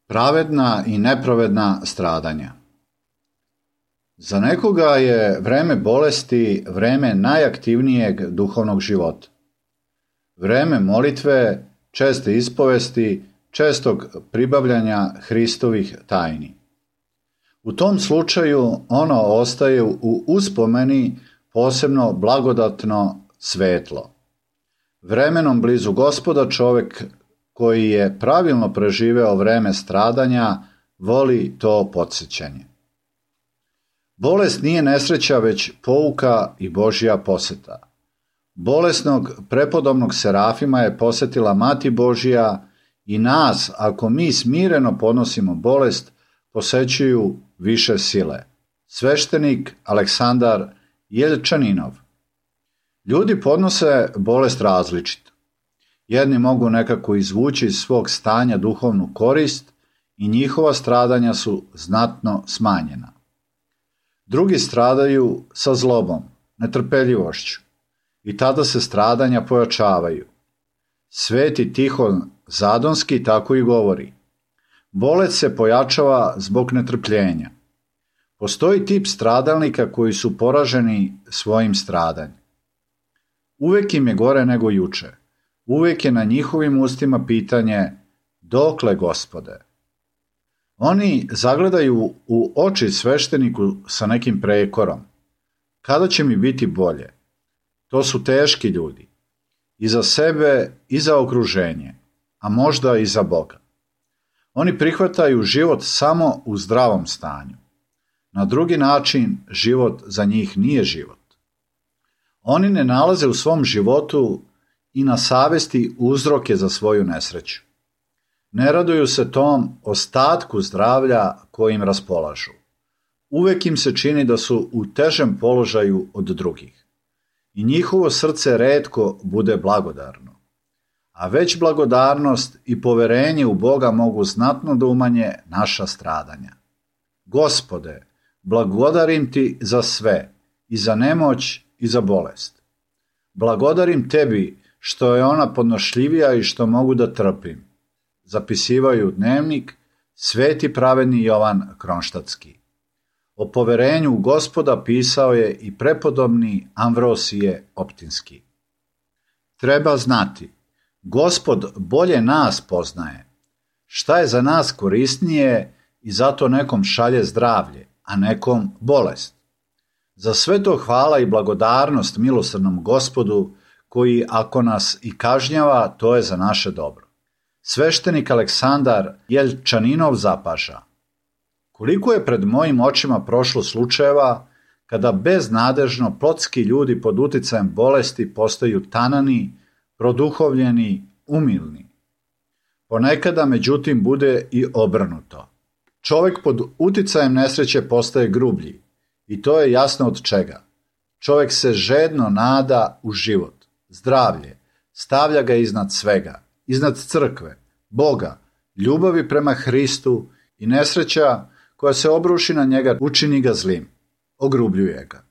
Pravedna i nepravedna stradanja. Za nekoga je vreme bolesti vreme najaktivnijeg duhovnog života. Vreme molitve, česte ispovesti, čestog pribavljanja Hristovih tajni. U tom slučaju ono ostaje u uspomeni posebno blagodatno svetlo. Vremenom blizu Gospoda čovek koji je pravilno preživeo vreme stradanja voli to podsjećanje. Bolest nije nesreća, već pouka i Božja poseta. Bolesnog prepodobnog Serafima je posetila Mati Božja i nas, ako mi smireno podnosimo bolest, posećuju više sile. Sveštenik Aleksandar Jelčaninov. Ljudi podnose bolest različito. Jedni mogu nekako izvući iz svog stanja duhovnu korist i njihova stradanja su znatno smanjena. Drugi stradaju sa zlobom, netrpeljivošću i tada se stradanja pojačavaju. Sveti Tihon Zadonski tako i govori. Bolest se pojačava zbog netrpljenja. Postoji tip stradalnika koji su poraženi svojim stradanjem. Uvek im je gore nego juče. Uvek je na njihovim ustima pitanje dokle, Gospode? Oni zagledaju u oči svešteniku sa nekim prekorom. Kada će mi biti bolje? To su teški ljudi. I za sebe i za okruženje, a možda i za Boga. Oni prihvataju život samo u zdravom stanju. Na drugi način život za njih nije život. Oni ne nalaze u svom životu i na savesti uzroke za svoju nesreću. Ne raduju se tom ostatku zdravlja kojim raspolažu. Uvek im se čini da su u težem položaju od drugih. I njihovo srce retko bude blagodarno. A već blagodarnost i poverenje u Boga mogu znatno da umanje naša stradanja. Gospode, blagodarim ti za sve, i za nemoć i za bolest. Blagodarim tebi što je ona podnošljivija i što mogu da trpim. Zapisivaju dnevnik sveti pravedni Jovan Kronštatski. O poverenju u Gospoda pisao je i prepodobni Amvrosije Optinski. Treba znati, Gospod bolje nas poznaje. Šta je za nas korisnije i zato nekom šalje zdravlje, a nekom bolest. Za sve to hvala i blagodarnost milosrdnom Gospodu, koji ako nas i kažnjava, to je za naše dobro. Sveštenik Aleksandar Jelčaninov zapaža. Koliko je pred mojim očima prošlo slučajeva kada beznadežno plotski ljudi pod uticajem bolesti postaju tanani, produhovljeni, umilni. Ponekada, međutim, bude i obrnuto. Čovek pod uticajem nesreće postaje grublji i to je jasno od čega. Čovek se žedno nada u život, zdravlje, stavlja ga iznad svega, iznad crkve, Boga, ljubavi prema Hristu i nesreća koja se obruši na njega učini ga zlim, ogrubljuje ga.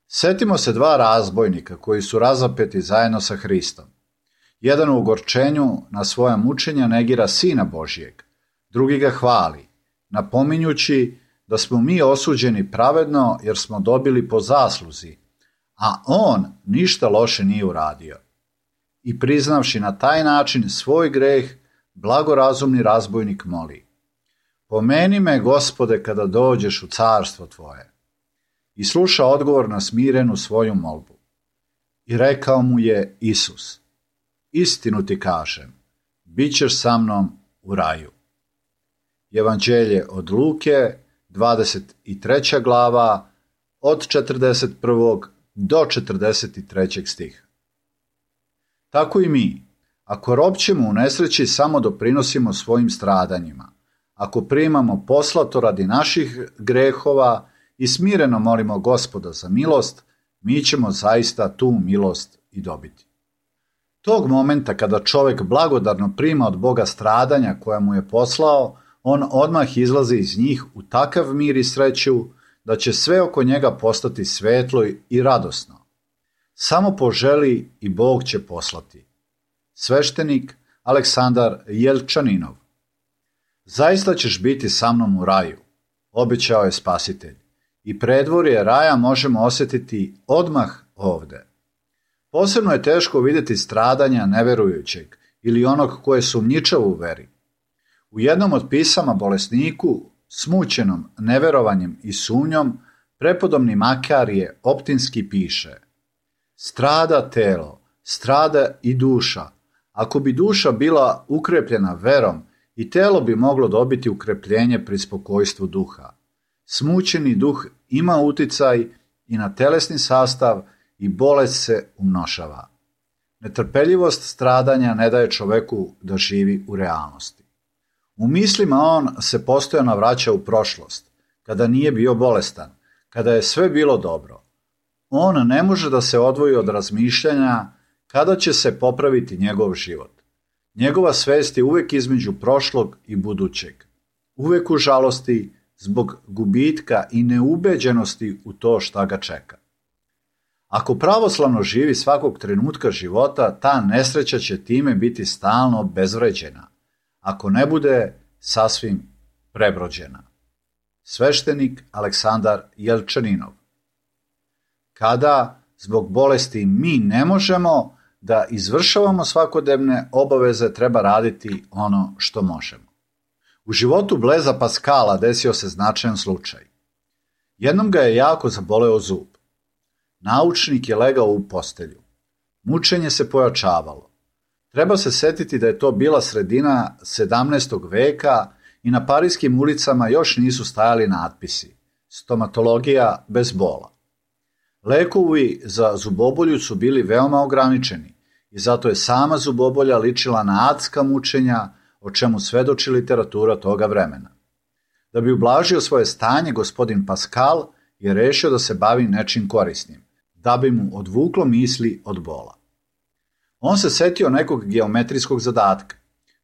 Setimo se dva razbojnika koji su razapeti zajedno sa Hristom. Jedan u ogorčenju na svoja mučenja negira Sina Božijeg, drugi ga hvali, napominjući da smo mi osuđeni pravedno jer smo dobili po zasluzi, a on ništa loše nije uradio. I priznavši na taj način svoj greh, blagorazumni razbojnik moli. Pomeni me, Gospode, kada dođeš u carstvo tvoje. I sluša odgovor na smirenu svoju molbu. I rekao mu je Isus, istinu ti kažem, bit ćeš sa mnom u raju. Evanđelje od Luke, 23. glava, od 41. do 43. stiha. Tako i mi, ako ropćemo u nesreći, samo doprinosimo svojim stradanjima. Ako primamo poslato radi naših grehova i smireno molimo Gospoda za milost, mi ćemo zaista tu milost i dobiti. Tog momenta kada čovek blagodarno prima od Boga stradanja koja mu je poslao, on odmah izlazi iz njih u takav mir i sreću da će sve oko njega postati svetlo i radosno. Samo poželi i Bog će poslati. Sveštenik Aleksandar Jelčaninov. Zaista ćeš biti sa mnom u raju, obećao je Spasitelj, i predvorje raja možemo osjetiti odmah ovde. Posebno je teško vidjeti stradanja neverujućeg ili onog koje je sumnjičav u veri. U jednom od pisama bolesniku, smućenom neverovanjem i sumnjom, prepodobni Makarije optinski piše: strada telo, strada i duša. Ako bi duša bila ukrepljena verom, i telo bi moglo dobiti ukrepljenje pri spokojstvu duha. Smućeni duh ima uticaj i na telesni sastav i bolest se umnošava. Netrpeljivost stradanja ne daje čoveku da živi u realnosti. U mislima on se postojano vraća u prošlost, kada nije bio bolestan, kada je sve bilo dobro. On ne može da se odvoji od razmišljanja kada će se popraviti njegov život. Njegova svest je uvek između prošlog i budućeg. Uvek u žalosti zbog gubitka i neubeđenosti u to šta ga čeka. Ako pravoslavno živi svakog trenutka života, ta nesreća će time biti stalno obezvređena, ako ne bude sasvim prebrođena. Sveštenik Aleksandar Jelčaninov. Kada zbog bolesti mi ne možemo da izvršavamo svakodnevne obaveze, treba raditi ono što možemo. U životu Bleza Paskala desio se značajan slučaj. Jednom ga je jako zaboleo zub. Naučnik je legao u postelju. Mučenje se pojačavalo. Treba se setiti da je to bila sredina 17. veka i na parijskim ulicama još nisu stajali natpisi: stomatologija bez bola. Lekovi za zubobolju su bili veoma ograničeni i zato je sama zubobolja ličila na adska mučenja, o čemu svedoči literatura toga vremena. Da bi ublažio svoje stanje, gospodin Paskal je rešio da se bavi nečim korisnim, da bi mu odvuklo misli od bola. On se setio nekog geometrijskog zadatka,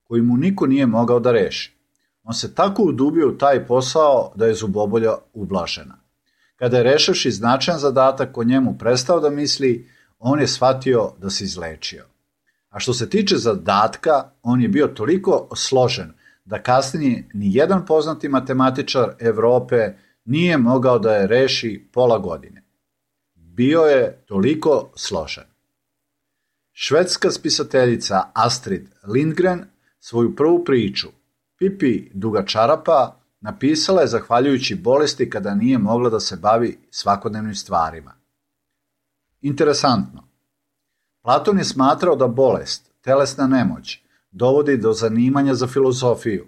koji mu niko nije mogao da reši. On se tako udubio u taj posao da je zubobolja ublažena. Kada je rešivši značajan zadatak o njemu prestao da misli, on je shvatio da se izlečio. A što se tiče zadatka, on je bio toliko složen da kasnije ni jedan poznati matematičar Evrope nije mogao da je reši pola godine. Bio je toliko složen. Švedska spisateljica Astrid Lindgren svoju prvu priču, Pipi dugačarapa, napisala je zahvaljujući bolesti kada nije mogla da se bavi svakodnevnim stvarima. Interesantno. Platon je smatrao da bolest, telesna nemoć, dovodi do zanimanja za filozofiju.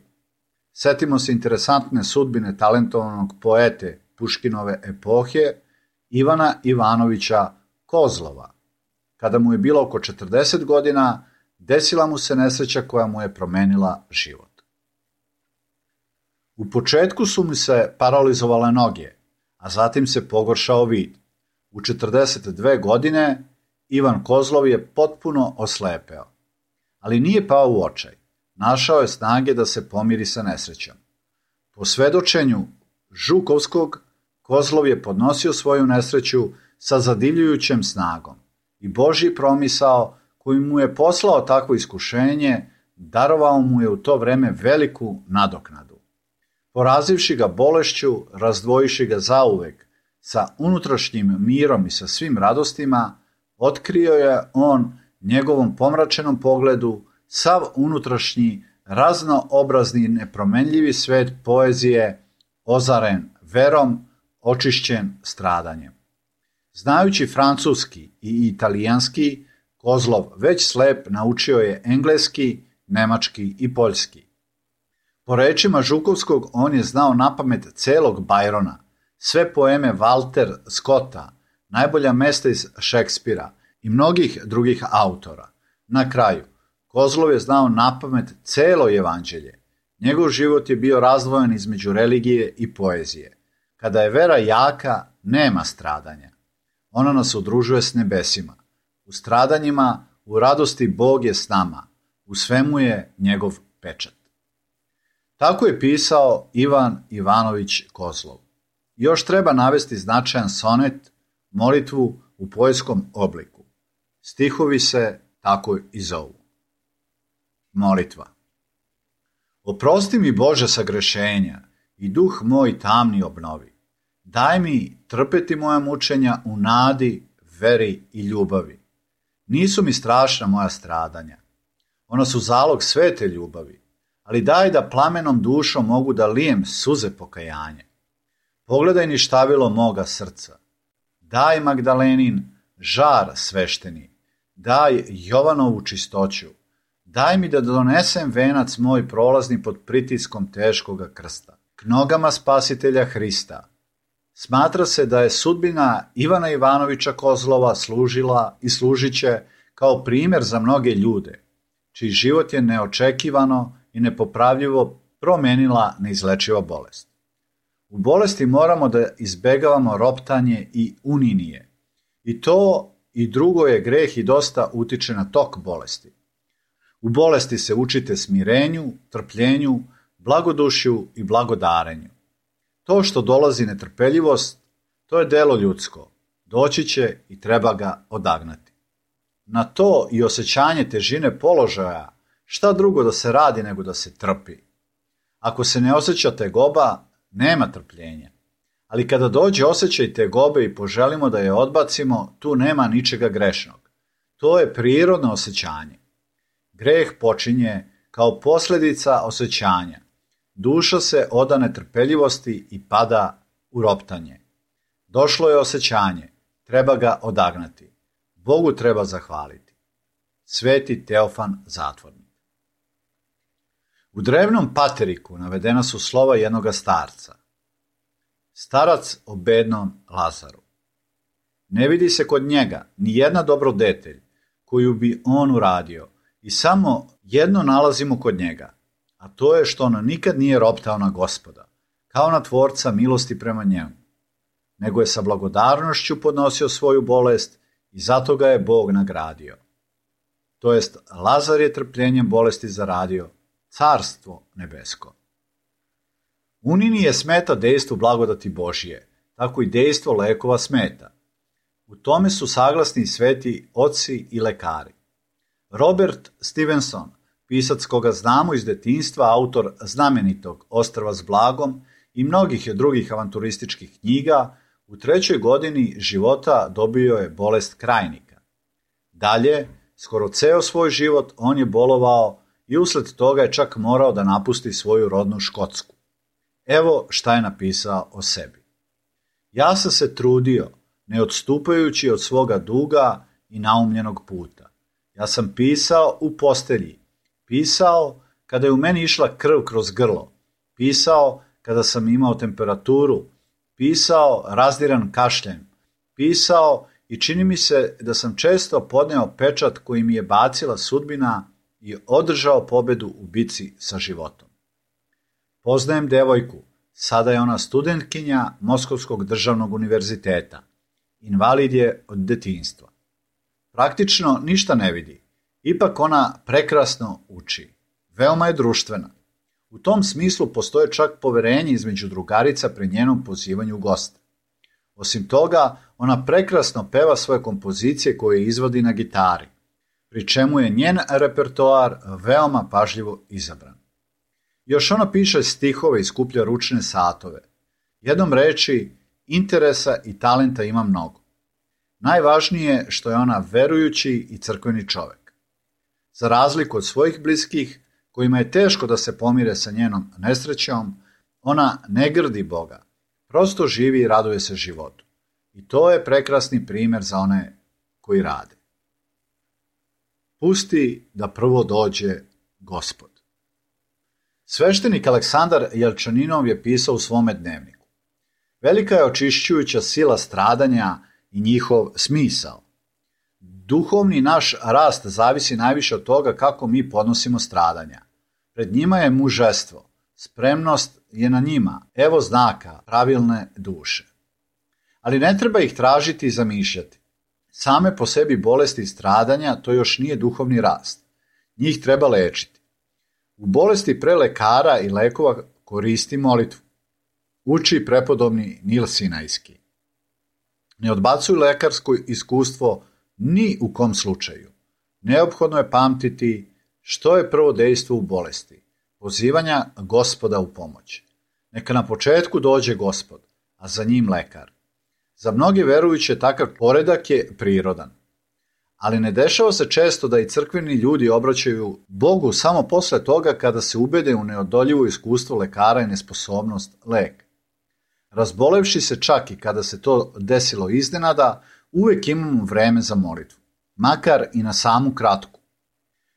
Setimo se interesantne sudbine talentovanog poete Puškinove epohe, Ivana Ivanovića Kozlova. Kada mu je bilo oko 40 godina, desila mu se nesreća koja mu je promenila život. U početku su mu se paralizovale noge, a zatim se pogoršao vid. U 42 godine Ivan Kozlov je potpuno oslepeo. Ali nije pao u očaj. Našao je snage da se pomiri sa nesrećom. Po svedočenju Žukovskog, Kozlov je podnosio svoju nesreću sa zadivljujućem snagom i Božji promisao koji mu je poslao takvo iskušenje, darovao mu je u to vreme veliku nadoknadu. Porazivši ga bolešću, razdvojiši ga zauvek sa unutrašnjim mirom i sa svim radostima, otkrio je on njegovom pomračenom pogledu sav unutrašnji, raznoobrazni, nepromenljivi svet poezije, ozaren verom, očišćen stradanjem. Znajući francuski i italijanski, Kozlov već slep naučio je engleski, nemački i poljski. Po rečima Žukovskog, on je znao napamet celog Byrona, sve poeme Walter Scotta, najbolja mesta iz Šekspira i mnogih drugih autora. Na kraju, Kozlov je znao napamet celo evanđelje. Njegov život je bio razdvojen između religije i poezije. Kada je vera jaka, nema stradanja. Ona nas udružuje s nebesima. U stradanjima, u radosti Bog je s nama. U svemu je njegov pečat. Tako je pisao Ivan Ivanović Kozlov. Još treba navesti značajan sonet, molitvu u poetskom obliku. Stihovi se tako i zovu. Molitva. Oprosti mi, Bože, sagrešenja i duh moj tamni obnovi. Daj mi trpeti moja mučenja u nadi, veri i ljubavi. Nisu mi strašna moja stradanja. Ona su zalog svete ljubavi, ali daj da plamenom dušom mogu da lijem suze pokajanja. Pogledaj ništavilo moga srca. Daj Magdalenin žar svešteni. Daj Jovanovu čistoću. Daj mi da donesem venac moj prolazni pod pritiskom teškoga krsta. K nogama spasitelja Hrista. Smatra se da je sudbina Ivana Ivanovića Kozlova služila i služiće kao primjer za mnoge ljude, čiji život je neočekivano i nepopravljivo promenila neizlečiva bolest. U bolesti moramo da izbegavamo roptanje i uninije. I to i drugo je greh i dosta utiče na tok bolesti. U bolesti se učite smirenju, trpljenju, blagodušju i blagodarenju. To što dolazi netrpeljivost, to je delo ljudsko. Doći će i treba ga odagnati. Na to i osjećanje težine položaja, šta drugo da se radi nego da se trpi. Ako se ne osjeća tegoba, nema trpljenja. Ali kada dođe osjećaj tegobe i poželimo da je odbacimo, tu nema ničega grešnog. To je prirodno osjećanje. Greh počinje kao posljedica osjećanja. Duša se oda netrpeljivosti i pada u roptanje. Došlo je osjećanje, treba ga odagnati. Bogu treba zahvaliti. Sveti Teofan Zatvornik. U drevnom pateriku navedena su slova jednoga starca. Starac o bednom Lazaru. Ne vidi se kod njega ni jedna dobrodetelj koju bi on uradio i samo jedno nalazimo kod njega, a to je što on nikad nije roptao na Gospoda, kao na tvorca milosti prema njemu, nego je sa blagodarnošću podnosio svoju bolest i zato ga je Bog nagradio. To jest, Lazar je trpljenjem bolesti zaradio carstvo nebesko. Unini je smeta dejstvo blagodati Božije, tako i dejstvo lekova smeta. U tome su saglasni sveti oci i lekari. Robert Stevenson, pisac koga znamo iz detinjstva, autor znamenitog Ostrva s blagom i mnogih drugih avanturističkih knjiga, u 3. godini života dobio je bolest krajnika. Dalje, skoro ceo svoj život on je bolovao i usled toga je čak morao da napusti svoju rodnu Škotsku. Evo šta je napisao o sebi. Ja sam se trudio, ne odstupajući od svoga duga i naumljenog puta. Ja sam pisao u postelji, pisao kada je u meni išla krv kroz grlo, pisao kada sam imao temperaturu, pisao razdiran kašljem, pisao i čini mi se da sam često podneo pečat koji mi je bacila sudbina i održao pobedu u bici sa životom. Poznajem devojku, sada je ona studentkinja Moskovskog državnog univerziteta. Invalid je od detinjstva. Praktično ništa ne vidi, ipak ona prekrasno uči. Veoma je društvena. U tom smislu postoje čak poverenje između drugarica pri njenom pozivanju u goste. Osim toga, ona prekrasno peva svoje kompozicije koje izvodi na gitari, pri čemu je njen repertoar veoma pažljivo izabran. Još ona piše stihove i skuplja ručne satove. Jednom reči, interesa i talenta ima mnogo. Najvažnije je što je ona verujući i crkveni čovek. Za razliku od svojih bliskih, kojima je teško da se pomire sa njenom nesrećom, ona ne grdi Boga, prosto živi i raduje se životu. I to je prekrasni primjer za one koji rade. Pusti da prvo dođe Gospod. Sveštenik Aleksandar Jelčaninov je pisao u svome dnevniku. Velika je očišćujuća sila stradanja i njihov smisao. Duhovni naš rast zavisi najviše od toga kako mi podnosimo stradanja. Pred njima je mužestvo, spremnost je na njima, evo znaka pravilne duše. Ali ne treba ih tražiti i zamišljati. Same po sebi bolesti i stradanja to još nije duhovni rast. Njih treba lečiti. U bolesti pre lekara i lekova koristi molitvu. Uči prepodobni Nil Sinajski. Ne odbacuj lekarsko iskustvo ni u kom slučaju. Neophodno je pamtiti što je prvo dejstvo u bolesti. pozivanja Gospoda u pomoć. Neka na početku dođe Gospod, a za njim lekar. Za mnoge verujuće takav poredak je prirodan. Ali ne dešava se često da i crkveni ljudi obraćaju Bogu samo posle toga kada se ubede u neodoljivo iskustvo lekara i nesposobnost leka. Razbolevši se čak i kada se to desilo iznenada, uvek imamo vreme za molitvu, makar i na samu kratku.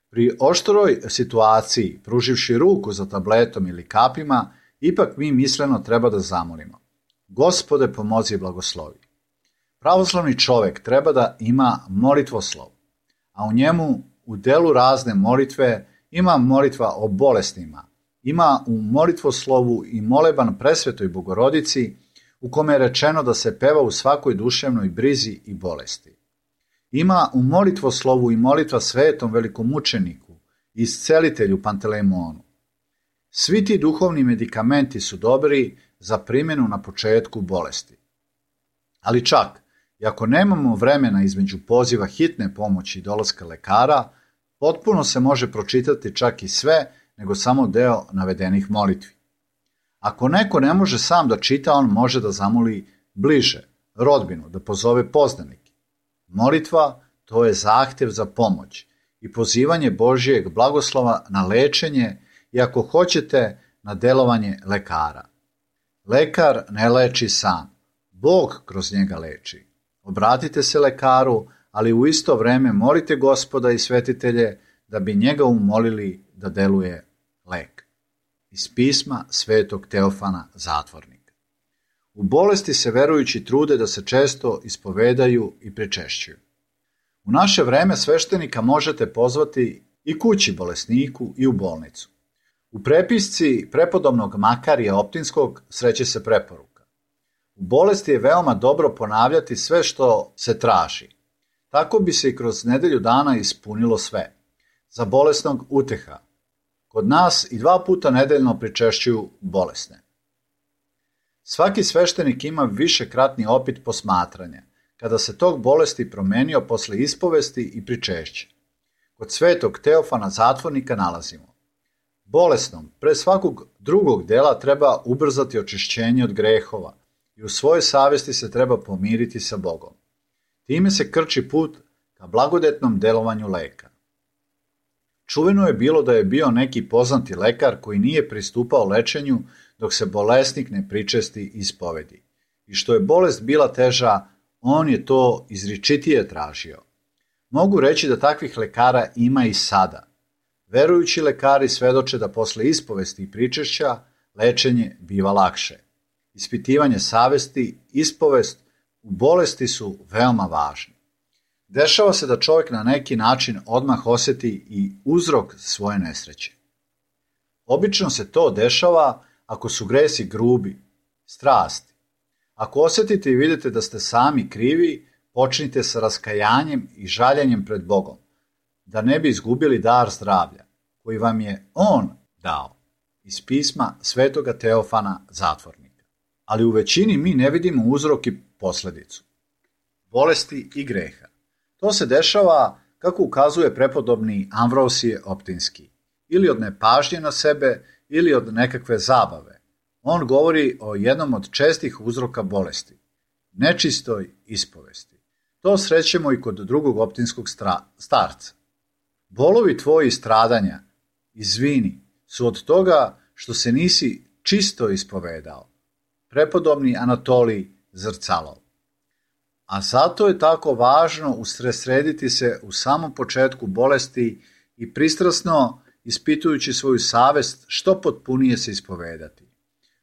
Pri oštroj situaciji, pruživši ruku za tabletom ili kapima, ipak mi misleno treba da zamolimo. Gospode, pomozi i blagoslovi. Pravoslavni čovek treba da ima molitvoslov, a u njemu u delu razne molitve ima molitva o bolestima, ima u molitvoslovu i moleban presvetoj Bogorodici u kome je rečeno da se peva u svakoj duševnoj brizi i bolesti. Ima u molitvoslovu i molitva svetom velikomučeniku i iscelitelju Pantelejmonu. Svi ti duhovni medikamenti su dobri za primjenu na početku bolesti. Ali čak, i ako nemamo vremena između poziva hitne pomoći i dolaska lekara, potpuno se može pročitati čak i sve, nego samo deo navedenih molitvi. Ako neko ne može sam da čita, on može da zamoli bliže, rodbinu, da pozove poznanike. Molitva, to je zahtev za pomoć i pozivanje Božijeg blagoslova na lečenje i ako hoćete na delovanje lekara. Lekar ne leči sam, Bog kroz njega leči. Obratite se lekaru, ali u isto vreme molite Gospoda i svetitelje da bi njega umolili da deluje lek. Iz pisma svetog Teofana Zatvornika. U bolesti se verujući trude da se često ispovedaju i pričešćuju. U naše vreme sveštenika možete pozvati i kući bolesniku i u bolnicu. U prepisci prepodobnog Makarija Optinskog sreće se preporuka. U bolesti je veoma dobro ponavljati sve što se traži. Tako bi se i kroz nedelju dana ispunilo sve. Za bolesnog uteha. Kod nas i 2 puta nedeljno pričešćuju bolesne. Svaki sveštenik ima višekratni opit posmatranja, kada se tog bolesti promenio posle ispovesti i pričešća. Kod svetog Teofana Zatvornika nalazimo: bolesnom, pre svakog drugog dela treba ubrzati očišćenje od grehova i u svojoj savesti se treba pomiriti sa Bogom. Time se krči put ka blagodetnom delovanju leka. Čuveno je bilo da je bio neki poznati lekar koji nije pristupao lečenju dok se bolesnik ne pričesti ispovedi. I što je bolest bila teža, on je to izričitije tražio. Mogu reći da takvih lekara ima i sada. Verujući lekari svedoče da posle ispovesti i pričešća lečenje biva lakše. Ispitivanje savesti, ispovest u bolesti su veoma važni. Dešava se da čovjek na neki način odmah osjeti i uzrok svoje nesreće. Obično se to dešava ako su gresi grubi, strasti. Ako osjetite i vidite da ste sami krivi, počnite sa raskajanjem i žaljenjem pred Bogom, da ne bi izgubili dar zdravlja, koji vam je On dao, iz pisma svetoga Teofana Zatvornika. Ali u većini mi ne vidimo uzrok i posledicu. Bolesti i greha. To se dešava, kako ukazuje prepodobni Amvrosije Optinski, ili od nepažnje na sebe, ili od nekakve zabave. On govori o jednom od čestih uzroka bolesti, nečistoj ispovesti. To srećemo i kod drugog optinskog starca. Bolovi tvoji stradanja, izvini, su od toga što se nisi čisto ispovedao. Prepodobni Anatolij Zrcalov. A zato je tako važno usredsrediti se u samom početku bolesti i pristrasno, ispitujući svoju savest, što potpunije se ispovedati.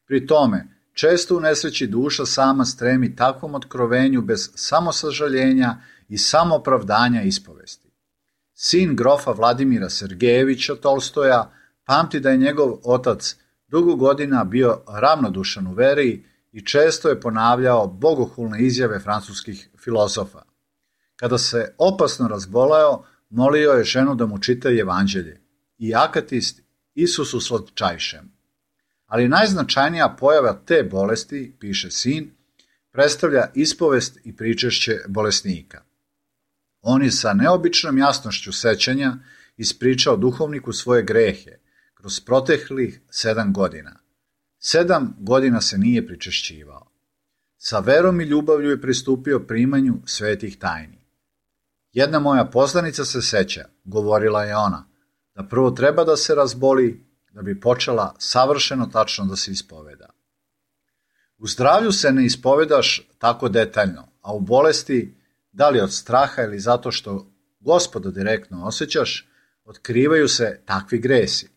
Pri tome, često u nesreći duša sama stremi takvom otkrovenju bez samosažaljenja i samoopravdanja ispovesti. Sin grofa Vladimira Sergejevića Tolstoja pamti da je njegov otac dugo godina bio ravnodušan u veri i često je ponavljao bogohulne izjave francuskih filozofa. Kada se opasno razboleo, molio je ženu da mu čita evanđelje i akatist Isusu slatčajšem. Ali najznačajnija pojava te bolesti, piše sin, predstavlja ispovest i pričešće bolesnika. On je sa neobičnom jasnošću sećanja ispričao duhovniku svoje grehe, kroz proteklih 7 godina. 7 godina se nije pričešćivao. Sa verom i ljubavlju je pristupio primanju svetih tajni. Jedna moja poznanica se seća, govorila je ona, da prvo treba da se razboli, da bi počela savršeno tačno da se ispoveda. U zdravlju se ne ispovedaš tako detaljno, a u bolesti, da li od straha ili zato što Gospoda direktno osjećaš, otkrivaju se takvi gresi,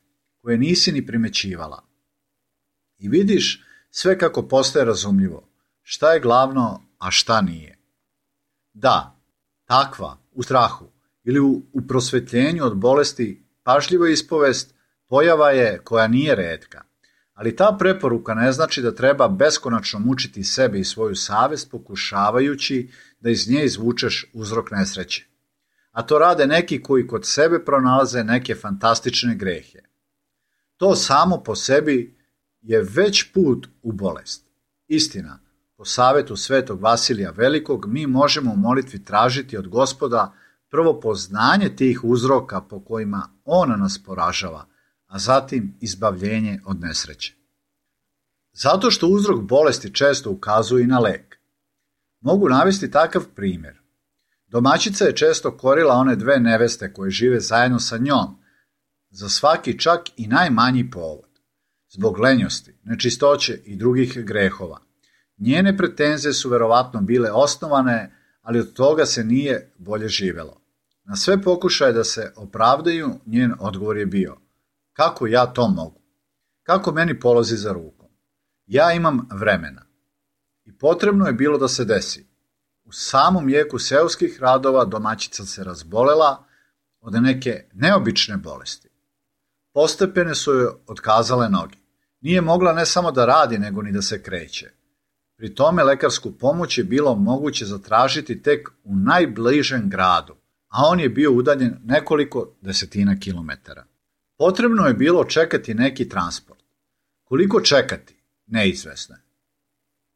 koje nisi ni primećivala. I vidiš sve kako postaje razumljivo, šta je glavno, a šta nije. Da, takva, u strahu ili u prosvetljenju od bolesti, pažljiva ispovest, pojava je koja nije retka. Ali ta preporuka ne znači da treba beskonačno mučiti sebe i svoju savest pokušavajući da iz nje izvučeš uzrok nesreće. A to rade neki koji kod sebe pronalaze neke fantastične grehe. To samo po sebi je već put u bolest. Istina, po savetu svetog Vasilija Velikog mi možemo u molitvi tražiti od Gospoda prvo poznanje tih uzroka po kojima on nas poražava, a zatim izbavljenje od nesreće. Zato što uzrok bolesti često ukazuje i na lek. Mogu navesti takav primjer. Domaćica je često korila one 2 neveste koje žive zajedno sa njom, za svaki čak i najmanji povod. Zbog lenjosti, nečistoće i drugih grehova. Njene pretenzije su verovatno bile osnovane, ali od toga se nije bolje živelo. Na sve pokušaje da se opravdaju, njen odgovor je bio: kako ja to mogu? Kako meni polazi za rukom? Ja imam vremena. I potrebno je bilo da se desi. U samom jeku seoskih radova domaćica se razbolela od neke neobične bolesti. Postepene su joj otkazale noge. Nije mogla ne samo da radi, nego ni da se kreće. Pri tome lekarsku pomoć je bilo moguće zatražiti tek u najbližem gradu, a on je bio udaljen nekoliko desetina kilometara. Potrebno je bilo čekati neki transport. Koliko čekati? Neizvesno je.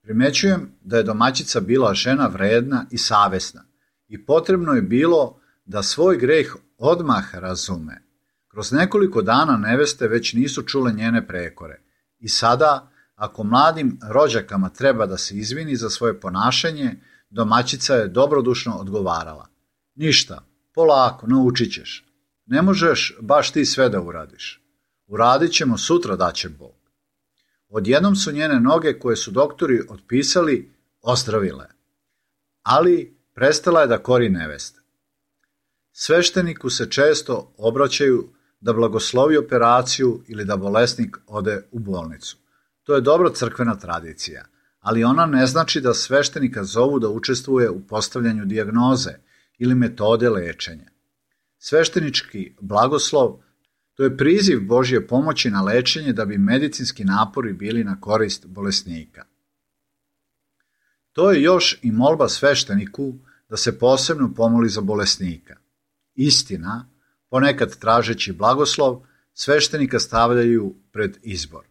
Primećujem da je domaćica bila žena vredna i savesna i potrebno je bilo da svoj greh odmah razume. Kroz nekoliko dana neveste već nisu čule njene prekore i sada, ako mladim rođakama treba da se izvini za svoje ponašanje, domaćica je dobrodušno odgovarala: ništa, polako, naučit ćeš. Ne možeš baš ti sve da uradiš. Uradit ćemo sutra, daće Bog. Odjednom su njene noge koje su doktori otpisali ozdravile, ali prestala je da kori neveste. Svešteniku se često obraćaju da blagoslovi operaciju ili da bolesnik ode u bolnicu. To je dobra crkvena tradicija, ali ona ne znači da sveštenika zovu da učestvuje u postavljanju dijagnoze ili metode lečenja. Sveštenički blagoslov to je priziv Božje pomoći na lečenje da bi medicinski napori bili na korist bolesnika. To je još i molba svešteniku da se posebno pomoli za bolesnika. Istina, ponekad tražeći blagoslov, sveštenika stavljaju pred izbor.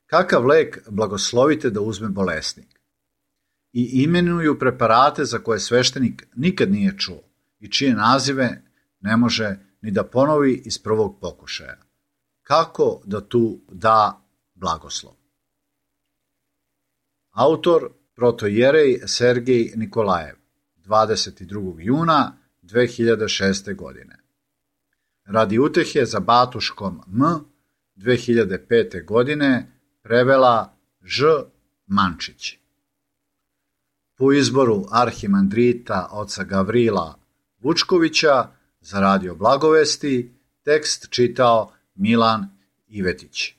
Kakav lek blagoslovite da uzme bolesnik? I imenuju preparate za koje sveštenik nikad nije čuo i čije nazive ne može ni da ponovi iz prvog pokušaja. Kako da tu da blagoslov? Autor protojerej Sergej Nikolajev, 22. juna 2006. godine. Radi utehe za Batuškom M. 2005. godine prevela Ž. Mančić. Po izboru arhimandrita oca Gavrila Vučkovića za Radio Blagovesti tekst čitao Milan Ivetić.